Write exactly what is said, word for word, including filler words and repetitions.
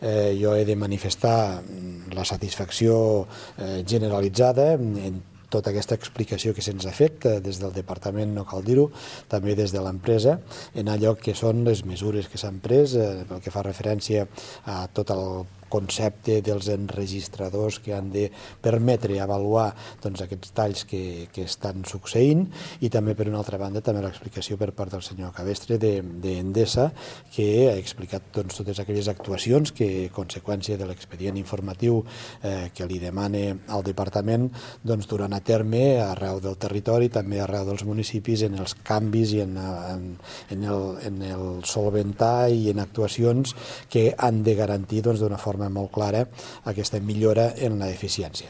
eh, jo he de manifestar la satisfacció eh, generalitzada en tota aquesta explicació que se'ns ha fet des del departament, no cal dir-ho, també des de l'empresa, en allò que són les mesures que s'han pres, eh, pel que fa referència a tot el concepte dels enregistradors que han de permetre avaluar doncs, aquests talls que, que estan succeint, i també, per una altra banda, també l'explicació per part del senyor Cabestre d'Endesa, que ha explicat doncs, totes aquelles actuacions que, a conseqüència de l'expedient informatiu eh, que li demana al departament, doncs, duran a terme arreu del territori, també arreu dels municipis, en els canvis i en, en, en, el, en el solventar i en actuacions que han de garantir doncs, d'una forma molt clara aquesta millora en l'eficiència.